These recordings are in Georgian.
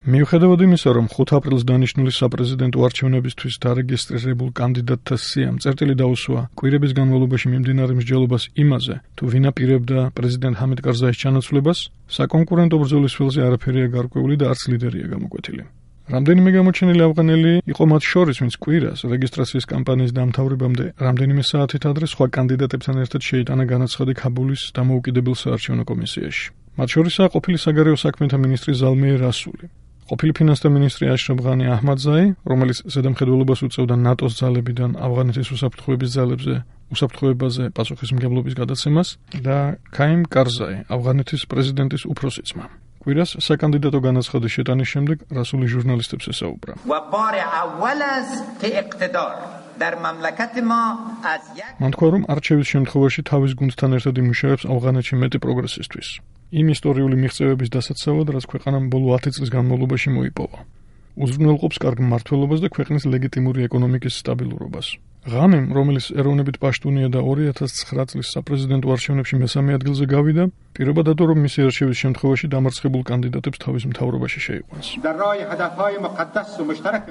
მიუხედავად იმისა, რომ 5 აპრილს დანიშნული საპრეზიდენტო არჩევნებისთვის დარეგისტრირებულ კანდიდატთა სიამ წერტილი დაუსვა კვირების განმავლობაში მიმდინარე მსჯელობას იმაზე, თუ ვინ აპირებდა პრეზიდენტ ჰამიდ კარზაის ჩანაცვლებას, საკონკურენტო ბრძოლის ველზე არაფერია გარკვეული და არც ლიდერია გამოკვეთილი. რამდენიმე გამოჩენილი ავღანელი იყო მათ შორის, ვინც კვირას რეგისტრაციის კამპანიის დამთავრებამდე რამდენიმე საათით ადრე სხვა კანდიდატებთან ერთად შეიტანა განაცხადი ქაბულის დამოუკიდებელ საარჩევნო კომისიაში. მათ შორისაა ყოფილი საგარეო საქმეთა მინისტრი ზალმეირ რასული, ყოფილი ფინანსთა მინისტრი აშრაფ ღანი აჰმადზაი, რომელიც ზედამხედველობას უწევდა ნატოს ძალებიდან ავღანეთის უსაფრთხოებაზე პასუხისმგებლობის გადაცემას და ქაიმ კარზაი, ავღანეთის პრეზიდენტის უფროსი ძმა. კვირას საკანდიდატო განაცხადის შეტანის შემდეგ რასული ჟურნალისტებს ესაუბრა. მან თქვა, რომ არჩევის შემთხვევაში თავის გუნდთან ერთად იმუშავებს ავღანეთში მეტი პროგრესისთვის. იმ ისტორიული მიღწევების დასაცავად, რაც ქვეყანამ ბოლო 10 წლის განმავლობაში მოიპოვა. უზრუნველყოფს კარგ მმართველობას და ქვეყნის ლეგიტიმური ეკონომიკის სტაბილურობას. ღანიმ, რომელიც ეროვნებით პაშტუნია და 2009 წლის საპრეზიდენტო არჩევნებში მესამე ადგილზე გავიდა, პირობა დადო, რომ მისი არჩევის შემთხვევაში დამარცხებულ კანდიდატებს თავის მთავრობაში შეიყვანს.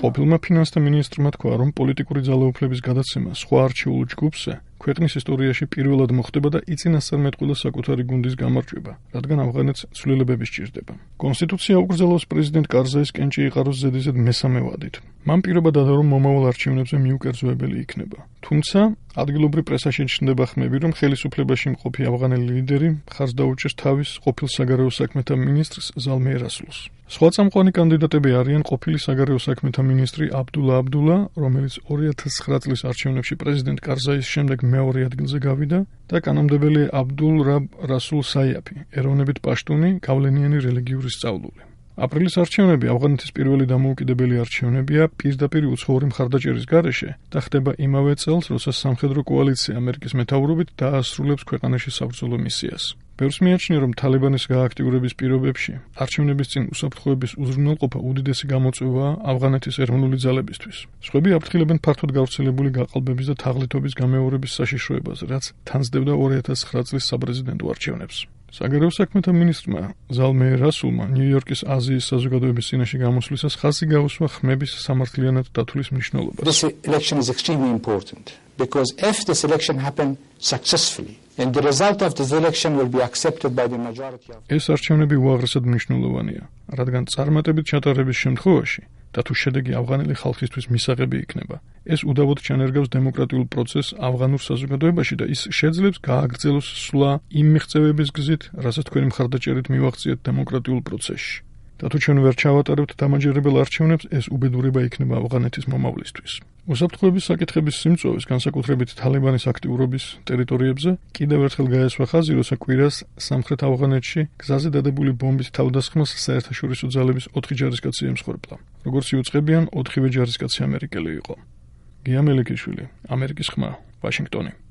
ყოფილმა ფინანსთა მინისტრმა თქვა, რომ პოლიტიკური ძალაუფლების გადაცემა სხვა არჩეულ ჯგუფზე ქვეყნის ისტორიაში პირველად მოხდება და იწინასწარმეტყველა საკუთარი გუნდის გამარჯვება, რადგან ავღანეთს ცვლილებები სჭირდება. კონსტიტუცია უკრძალავს პრეზიდენტ კარზაის კენჭი იყაროს ზედიზედ მესამე ვადით. მან პირობა დადო, რომ მომავალ არჩევნებზე მიუკერძოებელი იქნება. თუმცა, ადგილობრივ პრესაში ჩნდება ხმები, რომ ხელისუფლებაში მყოფი ავღანელი ლიდერი მხარს დაუჭერს თავის ყოფილ საგარეო საქმეთა მინისტრს ზალმეირ რასულს. სხვა წამყვანი კანდიდატები არიან ყოფილი საგარეო საქმეთა მინისტრი აბდულა აბდულა, რომელიც 2009 წლის არჩევნებში პრეზიდენტ კარზაის შემდეგ მეორე ადგილზე გავიდა და კანონმდებელი აბდულ რაბ რასულ საიაფი, ეროვნებით პაშტუნი, გავლენიანი რელიგიური სწავლული. აპრილის არჩევნები ავღანეთის პირველი დამოუკიდებელი არჩევნებია პირდაპირ უცხოური მხარდაჭერის გარეშე და ხდება იმავე წელს, როცა სამხედრო კოალიცია ამერიკის მეთაურობით დაასრულებს ქვეყანაში საბრძოლო მისიას. ბევრს მიაჩნია, რომ თალიბანის გააქტიურების პირობებში არჩევნების წინ უსაფრთხოების უზრუნველყოფა უდიდესი გამოწვევაა ავღანეთის ეროვნული ძალებისთვის. სხვები აფრთხილებენ ფართოდ გავრცელებული გაყალბების და თაღლითობის გამეორების საშიშროებას, რაც თანძდებდა 2009 წლის საპრეზიდენტო არჩევნებს. საგარეო საქმეთა მინისტრმა ზალმეირ რასულმა ნიუ-იორკის აზიის საზოგადოების წინაშე გამოსვლისას ხაზი გაუსვა ხმების სამართლიანად დათვლის მნიშვნელობას. This election is extremely important because if this election happen successfully and the result of this election will be accepted by the majority of ეს არჩევნები უაღრესად მნიშვნელოვანია, რადგან წარმატებით ჩატარების შემთხვევაში და თუ შედეგი ავღანელი ხალხისთვის მისაღები იქნება, ეს უდავოდ ჩანერგავს დემოკრატიულ პროცესს ავღანურ საზოგადოებაში და ის შეძლებს გააგრძელოს სვლა იმ მიღწევების გზით, რასაც თქვენი მხარდაჭერით მივაღწიეთ დემოკრატიულ პროცესში. და თუ ჩვენ ვერ ჩავატარებთ დამაჯერებელ არჩევნებს, ეს უბედურება იქნება ავღანეთის მომავლისთვის. უსაფრთხოების საკითხების სიმწვავეს, განსაკუთრებით თალიბანის აქტიურობის ტერიტორიებზე, კიდევ ერთხელ გაესვა ხაზი, როცა კვირას სამხრეთ ავღანეთში გზაზე დადებული ბომბის თავდასხმას საერთაშორისო ძალების 4 ჯარისკაცი ემსხვერპლა. როგორც იუწყებიან, 4-ვე ჯარისკაცი ამერიკელი იყო. გია მელიქიშვილი, ამერიკის ხმა, ვაშინგტონი.